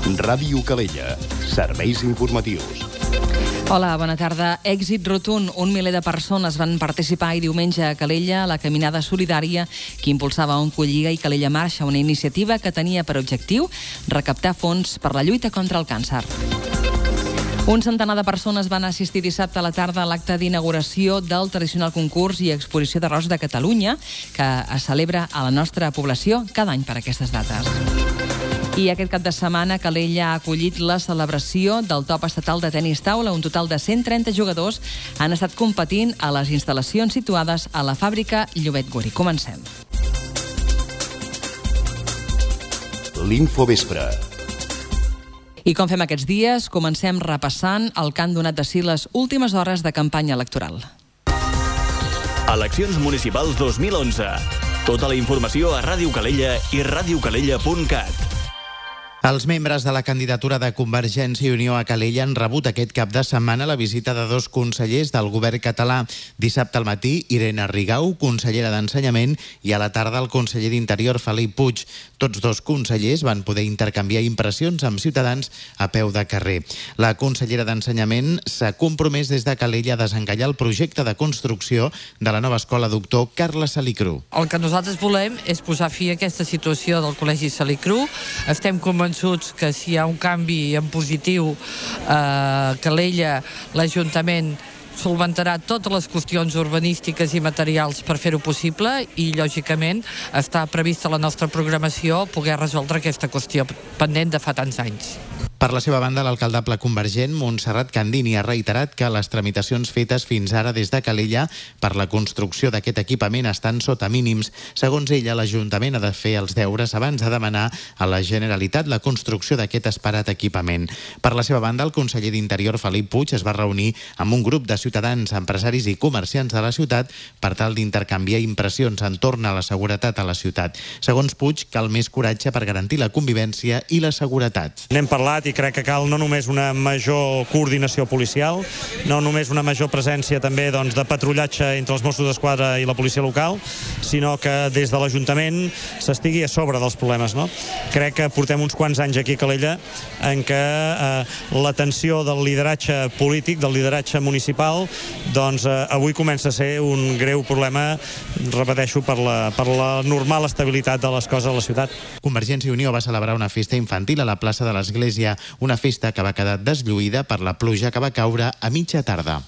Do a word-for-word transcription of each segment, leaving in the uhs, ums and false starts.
Ràdio Calella. Serveis informatius. Hola, bona tarda. Èxit rotund. Un miler de persones van participar ahir diumenge a Calella a la caminada solidària que impulsava Oncolliga i Calella Marxa, una iniciativa que tenia per objectiu recaptar fons per la lluita contra el càncer. Un centenar de persones van assistir dissabte a la tarda a l'acte d'inauguració del tradicional concurs i exposició d'arròs de Catalunya, que es celebra a la nostra població cada any per aquestes dates. I aquest cap de setmana Calella ha acollit la celebració del top estatal de tenis taula. Un total de cent trenta jugadors han estat competint a les instal·lacions situades a la fàbrica Llobet Guri. Comencem. L'Infovespre. I com fem aquests dies, comencem repassant el que han donat de si les últimes hores de campanya electoral. Eleccions municipals dos mil onze. Tota la informació a Ràdio Calella i ràdio calella punt cat. Els membres de la candidatura de Convergència i Unió a Calella han rebut aquest cap de setmana la visita de dos consellers del govern català. Dissabte al matí, Irene Rigau, consellera d'Ensenyament, i a la tarda el conseller d'Interior, Felip Puig. Tots dos consellers van poder intercanviar impressions amb ciutadans a peu de carrer. La consellera d'Ensenyament s'ha compromès des de Calella a desencallar el projecte de construcció de la nova escola doctor Carles Salicru. El que nosaltres volem és posar fi a aquesta situació del Col·legi Salicru. Estem convençuts que si hi ha un canvi en positiu a Calella, l'Ajuntament solventarà totes les qüestions urbanístiques i materials per fer-ho possible i, lògicament, està prevista la nostra programació poder resoldre aquesta qüestió pendent de fa tants anys. Per la seva banda, l'alcaldable convergent, Montserrat Candini, ha reiterat que les tramitacions fetes fins ara des de Calella per la construcció d'aquest equipament estan sota mínims. Segons ella, l'Ajuntament ha de fer els deures abans de demanar a la Generalitat la construcció d'aquest esperat equipament. Per la seva banda, el conseller d'Interior, Felip Puig, es va reunir amb un grup de ciutadans, empresaris i comerciants de la ciutat per tal d'intercanviar impressions entorn a la seguretat a la ciutat. Segons Puig, cal més coratge per garantir la convivència i la seguretat. N'hem parlat i crec que cal no només una major coordinació policial, no només una major presència també doncs, de patrullatge entre els Mossos d'Esquadra i la policia local, sinó que des de l'Ajuntament s'estigui a sobre dels problemes. No? Crec que portem uns quants anys aquí a Calella en què eh, l'atenció del lideratge polític, del lideratge municipal, doncs eh, avui comença a ser un greu problema, repeteixo, per la, per la normal estabilitat de les coses a la ciutat. Convergència i Unió va celebrar una festa infantil a la plaça de l'Església, una festa que va quedar deslluïda per la pluja que va caure a mitja tarda.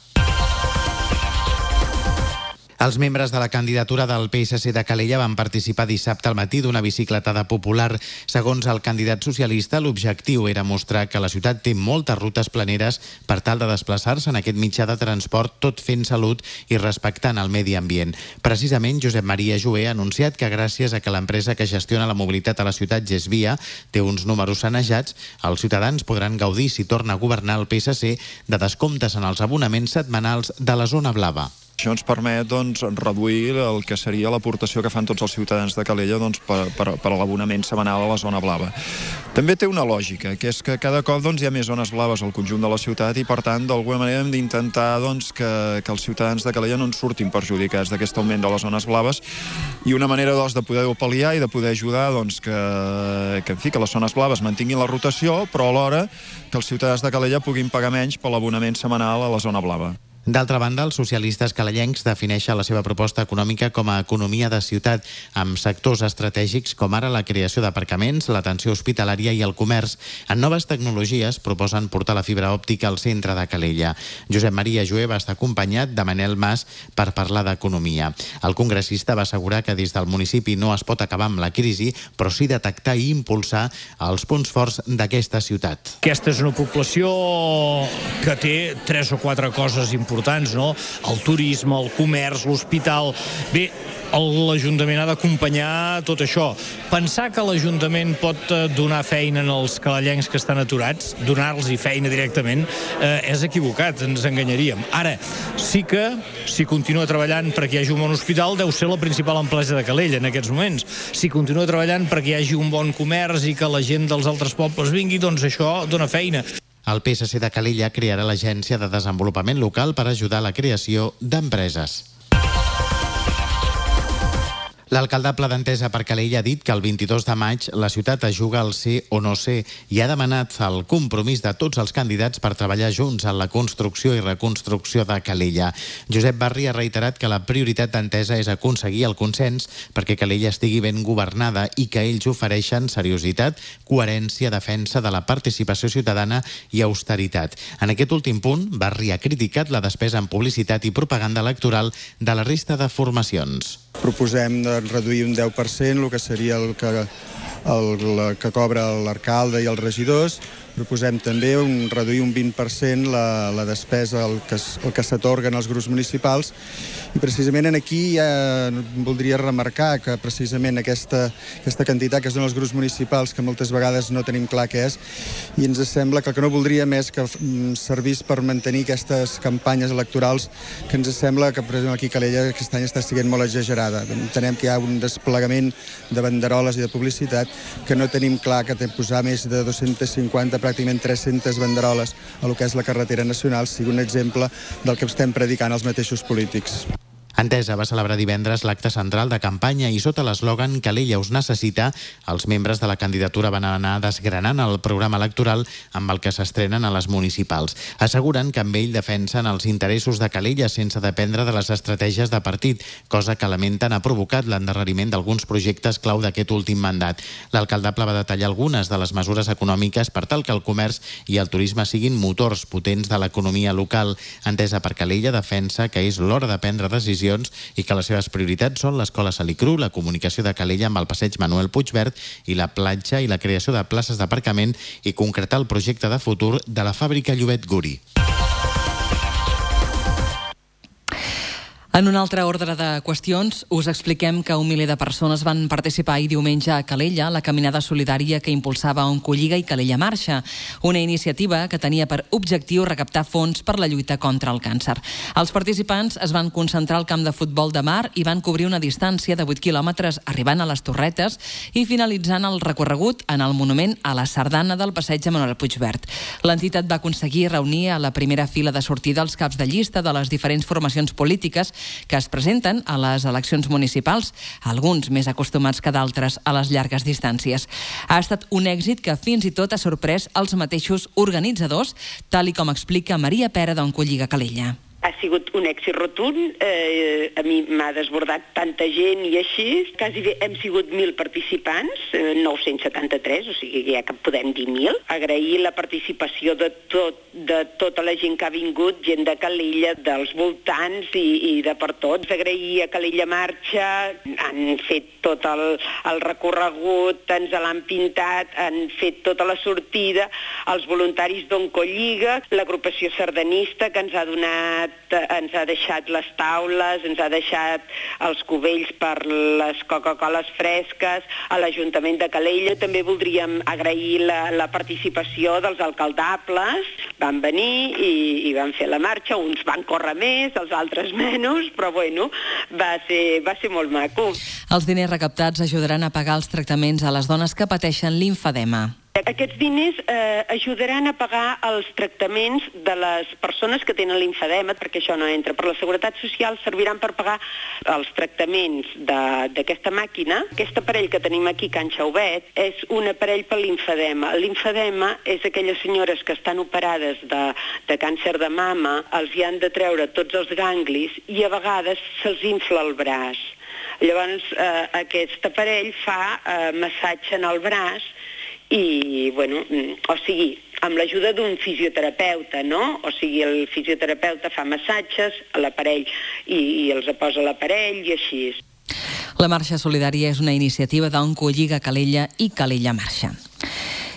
Els membres de la candidatura del P S C de Calella van participar dissabte al matí d'una bicicletada popular. Segons el candidat socialista, l'objectiu era mostrar que la ciutat té moltes rutes planeres per tal de desplaçar-se en aquest mitjà de transport, tot fent salut i respectant el medi ambient. Precisament, Josep Maria Joé ha anunciat que gràcies a que l'empresa que gestiona la mobilitat a la ciutat, Gesvia, té uns números sanejats, els ciutadans podran gaudir, si torna a governar el P S C, de descomptes en els abonaments setmanals de la zona blava. Això ens permet doncs, reduir el que seria l'aportació que fan tots els ciutadans de Calella doncs, per, per, per l'abonament setmanal a la zona blava. També té una lògica, que és que cada cop doncs, hi ha més zones blaves al conjunt de la ciutat i, per tant, d'alguna manera hem d'intentar doncs, que, que els ciutadans de Calella no en surtin perjudicats d'aquest augment de les zones blaves, i una manera doncs, de poder-ho pal·liar i de poder ajudar doncs, que, que, en fi, que les zones blaves mantinguin la rotació, però alhora que els ciutadans de Calella puguin pagar menys per l'abonament setmanal a la zona blava. D'altra banda, els socialistes calellencs defineixen la seva proposta econòmica com a economia de ciutat, amb sectors estratègics com ara la creació d'aparcaments, l'atenció hospitalària i el comerç. En noves tecnologies proposen portar la fibra òptica al centre de Calella. Josep Maria Joé va estar acompanyat de Manel Mas per parlar d'economia. El congressista va assegurar que des del municipi no es pot acabar amb la crisi, però sí detectar i impulsar els punts forts d'aquesta ciutat. Aquesta és una població que té tres o quatre coses importants. importants, no? El turisme, el comerç, l'hospital. Bé, l'Ajuntament ha d'acompanyar tot això. Pensar que l'Ajuntament pot donar feina als calellencs que estan aturats, donar-los feina directament, eh, és equivocat, ens enganyaríem. Ara, sí que, si continua treballant perquè hi hagi un bon hospital, deu ser la principal empresa de Calella en aquests moments. Si continua treballant perquè hi hagi un bon comerç i que la gent dels altres pobles vingui, doncs això dona feina. El P S C de Calella crearà l'Agència de Desenvolupament Local per ajudar a la creació d'empreses. L'alcaldable d'Entesa per Calella ha dit que el vint-i-dos de maig la ciutat es juga al ser o no ser i ha demanat el compromís de tots els candidats per treballar junts en la construcció i reconstrucció de Calella. Josep Barri ha reiterat que la prioritat d'Entesa és aconseguir el consens perquè Calella estigui ben governada i que ells ofereixen seriositat, coherència, defensa de la participació ciutadana i austeritat. En aquest últim punt, Barri ha criticat la despesa en publicitat i propaganda electoral de la resta de formacions. Proposem de reduir un deu per cent el que seria el que, el, el que cobra l'alcalde i els regidors. Proposem també un, reduir un vint per cent la, la despesa, el que, el que s'atorguen als grups municipals. I precisament aquí ja voldria remarcar que precisament aquesta, aquesta quantitat que es dona als grups municipals, que moltes vegades no tenim clar què és, i ens sembla que el que no voldríem és que servís per mantenir aquestes campanyes electorals que ens sembla que, per exemple, aquí a Calella aquest any està sent molt exagerada. Entenem que hi ha un desplegament de banderoles i de publicitat que no tenim clar que posar més de dos-centes cinquanta, pràcticament tres-centes banderoles a lo que és la carretera nacional sigui un exemple del que estem predicant els mateixos polítics. Entesa va celebrar divendres l'acte central de campanya i sota l'eslògan Calella us necessita, els membres de la candidatura van anar desgranant el programa electoral amb el que s'estrenen a les municipals. Asseguren que amb ell defensen els interessos de Calella sense dependre de les estratègies de partit, cosa que lamenten ha provocat l'endarreriment d'alguns projectes clau d'aquest últim mandat. L'alcaldable va detallar algunes de les mesures econòmiques per tal que el comerç i el turisme siguin motors potents de l'economia local. Entesa per Calella defensa que és l'hora de prendre decisions i que les seves prioritats són l'escola Salicru, la comunicació de Calella amb el passeig Manuel Puigverd i la platja i la creació de places d'aparcament i concretar el projecte de futur de la fàbrica Llobet Guri. En un altre ordre de qüestions, us expliquem que un miler de persones van participar ahir diumenge a Calella, la caminada solidària que impulsava Oncolliga i Calella Marxa, una iniciativa que tenia per objectiu recaptar fons per la lluita contra el càncer. Els participants es van concentrar al camp de futbol de Mar i van cobrir una distància de vuit quilòmetres arribant a les Torretes i finalitzant el recorregut en el monument a la sardana del passeig Manuel Puigverd. L'entitat va aconseguir reunir a la primera fila de sortida els caps de llista de les diferents formacions polítiques que es presenten a les eleccions municipals, alguns més acostumats que d'altres a les llargues distàncies. Ha estat un èxit que fins i tot ha sorprès els mateixos organitzadors, tal i com explica Maria Pera d'Oncolliga Calella. Ha sigut un èxit rotund, eh, a mi m'ha desbordat tanta gent i així, quasi bé hem sigut mil participants, eh, nou-cents setanta-tres, o sigui ja que podem dir mil. Agrair la participació de, tot, de tota la gent que ha vingut, gent de Calella, dels voltants i, i de per tots. Agrair a Calella Marxa, han fet tot el, el recorregut, ens l'han pintat, han fet tota la sortida, els voluntaris d'Oncolliga, l'agrupació sardanista que ens ha donat ens ha deixat les taules, ens ha deixat els cubells per les Coca-Coles fresques, a l'Ajuntament de Calella. També voldríem agrair la, la participació dels alcaldables. Van venir i, i van fer la marxa, uns van córrer més, els altres menys, però bueno, va ser, va ser molt maco. Els diners recaptats ajudaran a pagar els tractaments a les dones que pateixen limfedema. Aquests diners eh, ajudaran a pagar els tractaments de les persones que tenen limfedema, perquè això no entra. Per la Seguretat Social serviran per pagar els tractaments d'aquesta màquina. Aquest aparell que tenim aquí, Can Xauvet, és un aparell per limfedema. El limfedema és aquelles senyores que estan operades de, de càncer de mama, els hi han de treure tots els ganglis i a vegades se'ls infla el braç. Llavors, eh, aquest aparell fa eh, massatge en el braç i, bueno, o sigui, amb l'ajuda d'un fisioterapeuta, no? O sigui, el fisioterapeuta fa massatges a l'aparell i, i els posa l'aparell i així. La Marxa Solidària és una iniciativa d'Oncolliga Calella i Calella Marxa.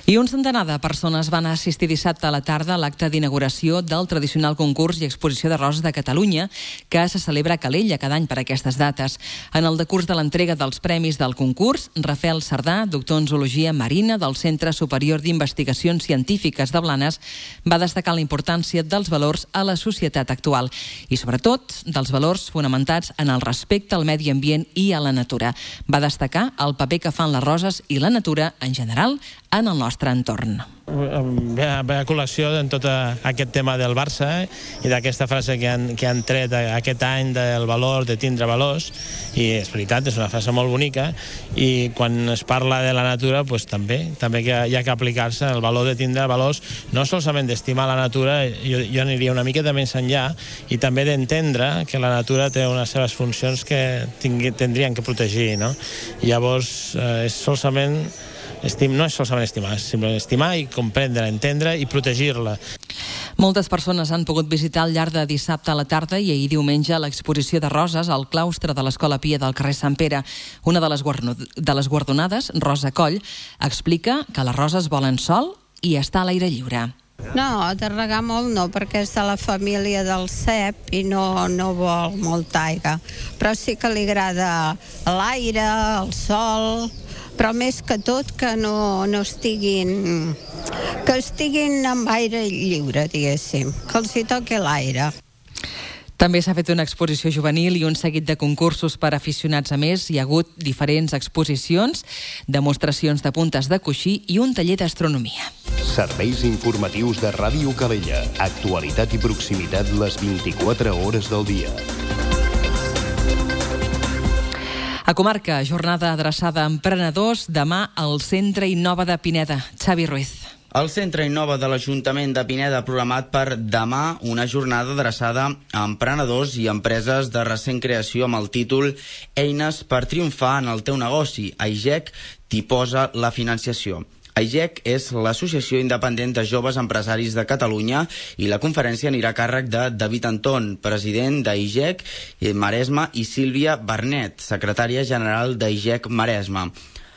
I un centenar de persones van assistir dissabte a la tarda a l'acte d'inauguració del tradicional concurs i exposició de roses de Catalunya que se celebra a Calella cada any per aquestes dates. En el decurs de l'entrega dels premis del concurs, Rafael Sardà, doctor en zoologia marina del Centre Superior d'Investigacions Científiques de Blanes, va destacar la importància dels valors a la societat actual i, sobretot, dels valors fonamentats en el respecte al medi ambient i a la natura. Va destacar el paper que fan les roses i la natura en general en el nostre entorn. ve a, ve a col·lecció en tot aquest tema del Barça i d'aquesta frase que han, que han tret aquest any del valor de tindre valors, i és veritat, és una frase molt bonica, i quan es parla de la natura, pues, també també que hi ha que aplicar-se el valor de tindre valors, no solament d'estimar la natura, jo, jo aniria una miqueta més enllà, i també d'entendre que la natura té unes seves funcions que tingui, tindrien que protegir, no? I llavors eh, és solament Estim, no és solament estimar, és simplement estimar i comprendre, entendre i protegir-la. Moltes persones han pogut visitar al llarg de dissabte a la tarda i ahir diumenge l'exposició de roses al claustre de l'Escola Pia del carrer Sant Pere. Una de les, de les guardonades, Rosa Coll, explica que les roses volen sol i estar a l'aire lliure. No, de regar molt no, perquè és de la família del cep i no, no vol molta aigua. Però sí que li agrada l'aire, el sol, però més que tot que no, no estiguin, que estiguin amb aire lliure, diguéssim, que els hi toqui l'aire. També s'ha fet una exposició juvenil i un seguit de concursos per aficionats. A més, hi ha hagut diferents exposicions, demostracions de puntes de coixí i un taller d'astronomia. Serveis informatius de Ràdio Calella. Actualitat i proximitat les vint-i-quatre hores del dia. A Comarca, jornada adreçada a emprenedors, demà al Centre Innova de Pineda. Xavi Ruiz. El Centre Innova de l'Ajuntament de Pineda ha programat per demà una jornada adreçada a emprenedors i empreses de recent creació amb el títol Eines per triomfar en el teu negoci. A I G E C t'hi posa la financiació. A I G E C és l'Associació Independent de Joves Empresaris de Catalunya i la conferència anirà a càrrec de David Anton, president d'A I G E C Maresme, i Sílvia Bernet, secretària general d'A I G E C Maresme.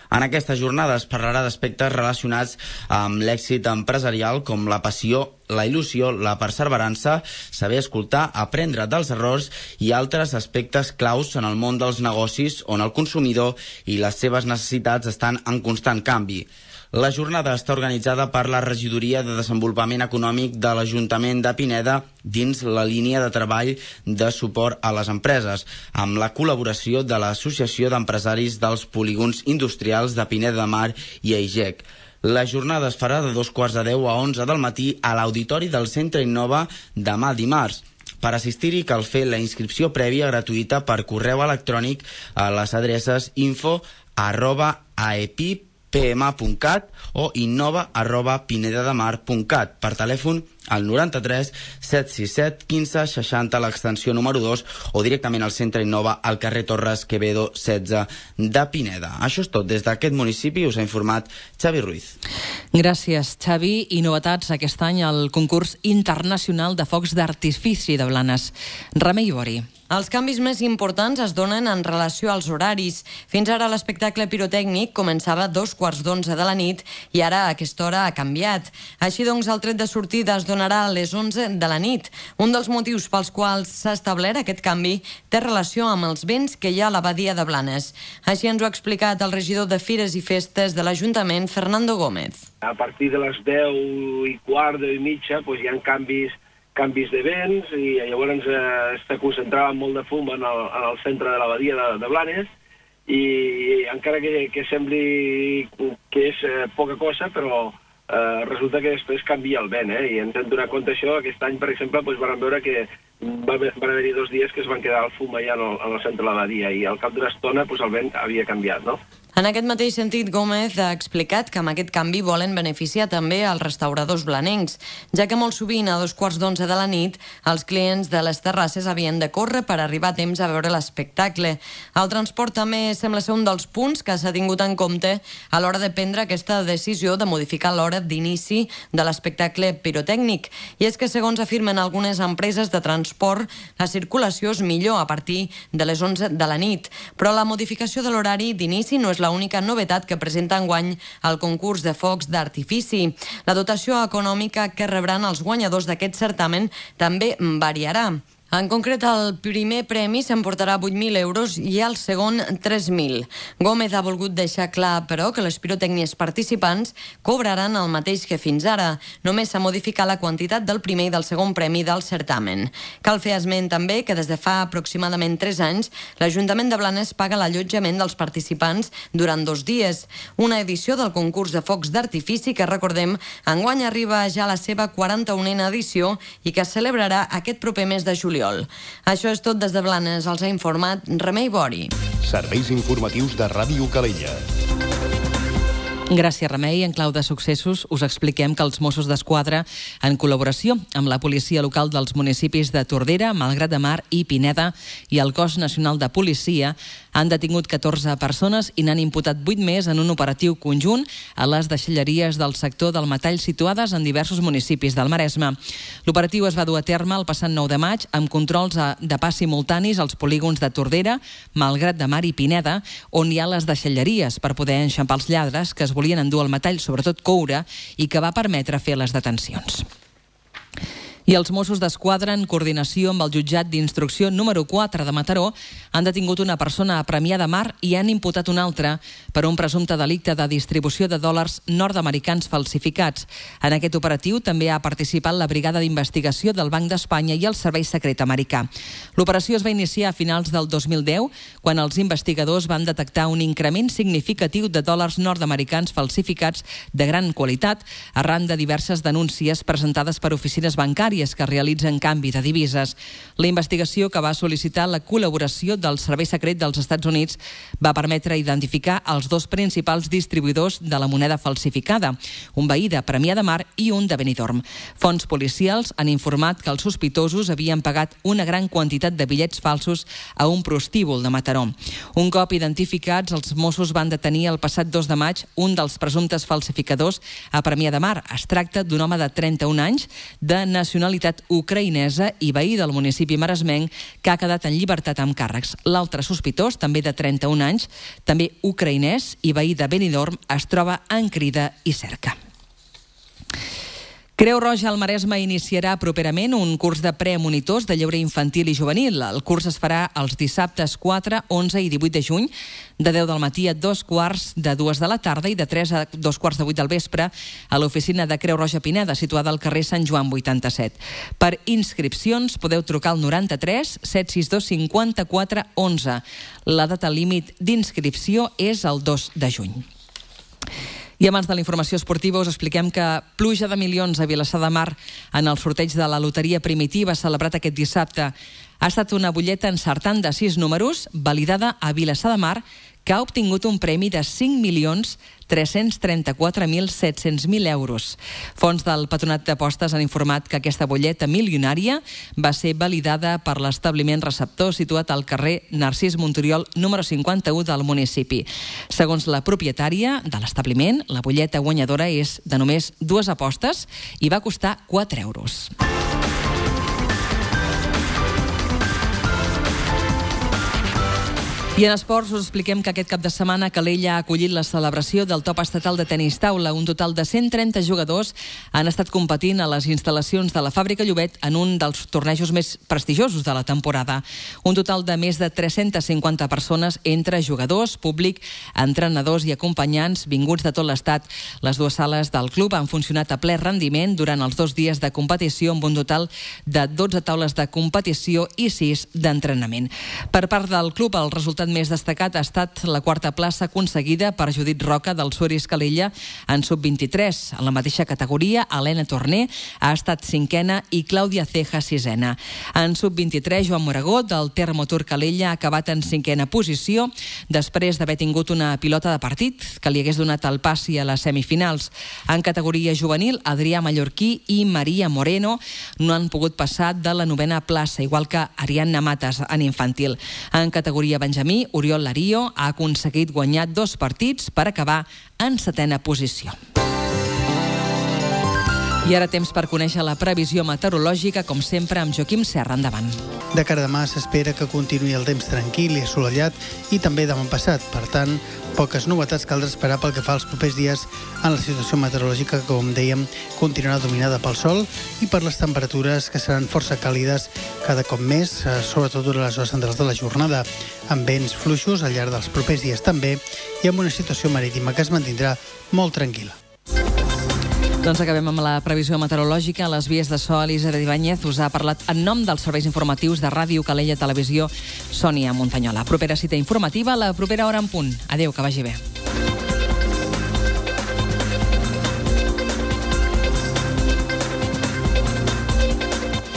En aquesta jornada es parlarà d'aspectes relacionats amb l'èxit empresarial com la passió, la il·lusió, la perseverança, saber escoltar, aprendre dels errors i altres aspectes claus en el món dels negocis on el consumidor i les seves necessitats estan en constant canvi. La jornada està organitzada per la Regidoria de Desenvolupament Econòmic de l'Ajuntament de Pineda dins la línia de treball de suport a les empreses, amb la col·laboració de l'Associació d'Empresaris dels Polígons Industrials de Pineda de Mar i A I G E C. La jornada es farà de dos quarts de deu a onze del matí a l'Auditori del Centre Innova demà dimarts. Per assistir-hi cal fer la inscripció prèvia gratuïta per correu electrònic a les adreces info arroba aepip p m punt cat o innova arroba pinedademar punt cat, per telèfon al noranta-tres set sis set quinze seixanta a l'extensió número dos o directament al Centre Innova al carrer Torres Quevedo setze de Pineda. Això és tot. Des d'aquest municipi us ha informat Xavi Ruiz. Gràcies, Xavi. I novetats aquest any al concurs internacional de focs d'artifici de Blanes. Remei Bori. Els canvis més importants es donen en relació als horaris. Fins ara l'espectacle pirotècnic començava a dos quarts d'onze de la nit i ara a aquesta hora ha canviat. Així doncs, el tret de sortida es donarà a les onze de la nit. Un dels motius pels quals s'ha establert aquest canvi té relació amb els vents que hi ha a la badia de Blanes. Així ens ho ha explicat el regidor de Fires i Festes de l'Ajuntament, Fernando Gómez. A partir de les deu i quart, deu i mitja, doncs hi ha canvis canvis de vents i llavors eh, està concentrat molt de fum en el, en el centre de la badia de, de Blanes i, i encara que, que sembli que és eh, poca cosa, però eh, resulta que després canvia el vent, eh? I ens hem donat compte això. Aquest any, per exemple, doncs, vam veure que va, van haver-hi dos dies que es van quedar el fum allà en el, en el centre de la badia i al cap d'una estona doncs, el vent havia canviat, no? En aquest mateix sentit, Gómez ha explicat que amb aquest canvi volen beneficiar també els restauradors blanencs, ja que molt sovint a dos quarts d'onze de la nit els clients de les terrasses havien de córrer per arribar a temps a veure l'espectacle. El transport també sembla ser un dels punts que s'ha tingut en compte a l'hora de prendre aquesta decisió de modificar l'hora d'inici de l'espectacle pirotècnic. I és que, segons afirmen algunes empreses de transport, la circulació és millor a partir de les onze de la nit. Però la modificació de l'horari d'inici no és la única novetat que presenta enguany el concurs de focs d'artifici. La dotació econòmica que rebran els guanyadors d'aquest certamen també variarà. En concret, el primer premi s'emportarà vuit mil euros i el segon tres mil. Gómez ha volgut deixar clar, però, que les pirotècnies participants cobraran el mateix que fins ara. Només s'ha modificat la quantitat del primer i del segon premi del certamen. Cal fer esment també que des de fa aproximadament tres anys l'Ajuntament de Blanes paga l'allotjament dels participants durant dos dies. Una edició del concurs de focs d'artifici que, recordem, enguany arriba ja a la seva quaranta-unena edició i que es celebrarà aquest proper mes de juliol. Això és tot des de Blanes. Els ha informat Remei Bori. Serveis informatius de Ràdio Calella. Gràcies, Remei. En clau de successos us expliquem que els Mossos d'Esquadra, en col·laboració amb la policia local dels municipis de Tordera, Malgrat de Mar i Pineda i el Cos Nacional de Policia, han detingut catorze persones i n'han imputat vuit més en un operatiu conjunt a les deixalleries del sector del metall situades en diversos municipis del Maresme. L'operatiu es va dur a terme el passat nou de maig amb controls de pas simultanis als polígons de Tordera, Malgrat de Mar i Pineda, on hi ha les deixalleries per poder enxampar els lladres que es volien endur el metall, sobretot coure, i que va permetre fer les detencions. I els Mossos d'Esquadra, en coordinació amb el jutjat d'instrucció número quatre de Mataró, han detingut una persona a Premià de Mar i han imputat una altra per un presumpte delicte de distribució de dòlars nord-americans falsificats. En aquest operatiu també ha participat la Brigada d'Investigació del Banc d'Espanya i el Servei Secret Americà. L'operació es va iniciar a finals del dos mil deu, quan els investigadors van detectar un increment significatiu de dòlars nord-americans falsificats de gran qualitat arran de diverses denúncies presentades per oficines bancàries que realitzen canvi de divises. La investigació, que va sol·licitar la col·laboració del Servei Secret dels Estats Units, va permetre identificar els dos principals distribuïdors de la moneda falsificada, un veí de Premià de Mar i un de Benidorm. Fonts policials han informat que els sospitosos havien pagat una gran quantitat de bitllets falsos a un prostíbul de Mataró. Un cop identificats, els Mossos van detenir el passat dos de maig un dels presumptes falsificadors a Premià de Mar. Es tracta d'un home de trenta-un anys, de nacionalitat ucraïnesa i veí del municipi maresmenc, que ha quedat en llibertat amb càrrecs. L'altre sospitós, també de trenta-un anys, també ucraïnès i veí de Benidorm, es troba en crida i cerca. Creu Roja al Maresme iniciarà properament un curs de premonitors de lleure infantil i juvenil. El curs es farà els dissabtes quatre, onze i divuit de juny, de deu del matí a dos quarts de dues de la tarda i de tres a dos quarts de vuit del vespre a l'oficina de Creu Roja Pineda, situada al carrer Sant Joan vuitanta-set. Per inscripcions podeu trucar al noranta-tres set sis dos cinquanta-quatre onze. La data límit d'inscripció és el dos de juny. I abans de la informació esportiva us expliquem que pluja de milions a Vilassar de Mar en el sorteig de la loteria primitiva celebrat aquest dissabte. Ha estat una butlleta encertant de sis números, validada a Vilassar de Mar, que ha obtingut un premi de cinc milions tres-cents trenta-quatre mil set-cents euros. Fonts del Patronat d'Apostes han informat que aquesta butlleta milionària va ser validada per l'establiment receptor situat al carrer Narcís Montoriol número cinquanta-u del municipi. Segons la propietària de l'establiment, la butlleta guanyadora és de només dues apostes i va costar quatre euros. I en esports us expliquem que aquest cap de setmana Calella ha acollit la celebració del top estatal de tenis taula. Un total de cent trenta jugadors han estat competint a les instal·lacions de la Fàbrica Llobet en un dels tornejos més prestigiosos de la temporada. Un total de més de tres-centes cinquanta persones entre jugadors, públic, entrenadors i acompanyants vinguts de tot l'estat. Les dues sales del club han funcionat a ple rendiment durant els dos dies de competició amb un total de dotze taules de competició i sis d'entrenament. Per part del club, el resultat més destacat ha estat la quarta plaça aconseguida per Judit Roca del Suris Calella en sub vint-i-tres. En la mateixa categoria, Helena Torner ha estat cinquena i Clàudia Ceja sisena. En sub vint-i-tres, Joan Moragó del Termotur Calella ha acabat en cinquena posició després d'haver tingut una pilota de partit que li hagués donat el passi a les semifinals. En categoria juvenil, Adrià Mallorquí i Maria Moreno no han pogut passar de la novena plaça, igual que Ariadna Matas en infantil. En categoria Benjamí, Oriol Lario ha aconseguit guanyar dos partits per acabar en setena posició. I ara temps per conèixer la previsió meteorològica, com sempre, amb Joaquim Serra. Endavant. De cara a demà s'espera que continuï el temps tranquil i assolellat i també demà passat. Per tant, poques novetats caldrà esperar pel que fa als propers dies en la situació meteorològica que, com dèiem, continuarà dominada pel sol i per les temperatures que seran força càlides cada cop més, sobretot durant les hores centrals de la jornada, amb vents fluixos al llarg dels propers dies també i amb una situació marítima que es mantindrà molt tranquil·la. Doncs acabem amb la previsió meteorològica. A les vies de so, Elisabet Ibáñez us ha parlat en nom dels serveis informatius de Ràdio Calella Televisió, Sònia Montanyola. Propera cita informativa a la propera hora en punt. Adéu, que vagi bé.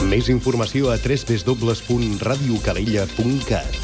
Més informació a w w w punt radiocalella punt cat.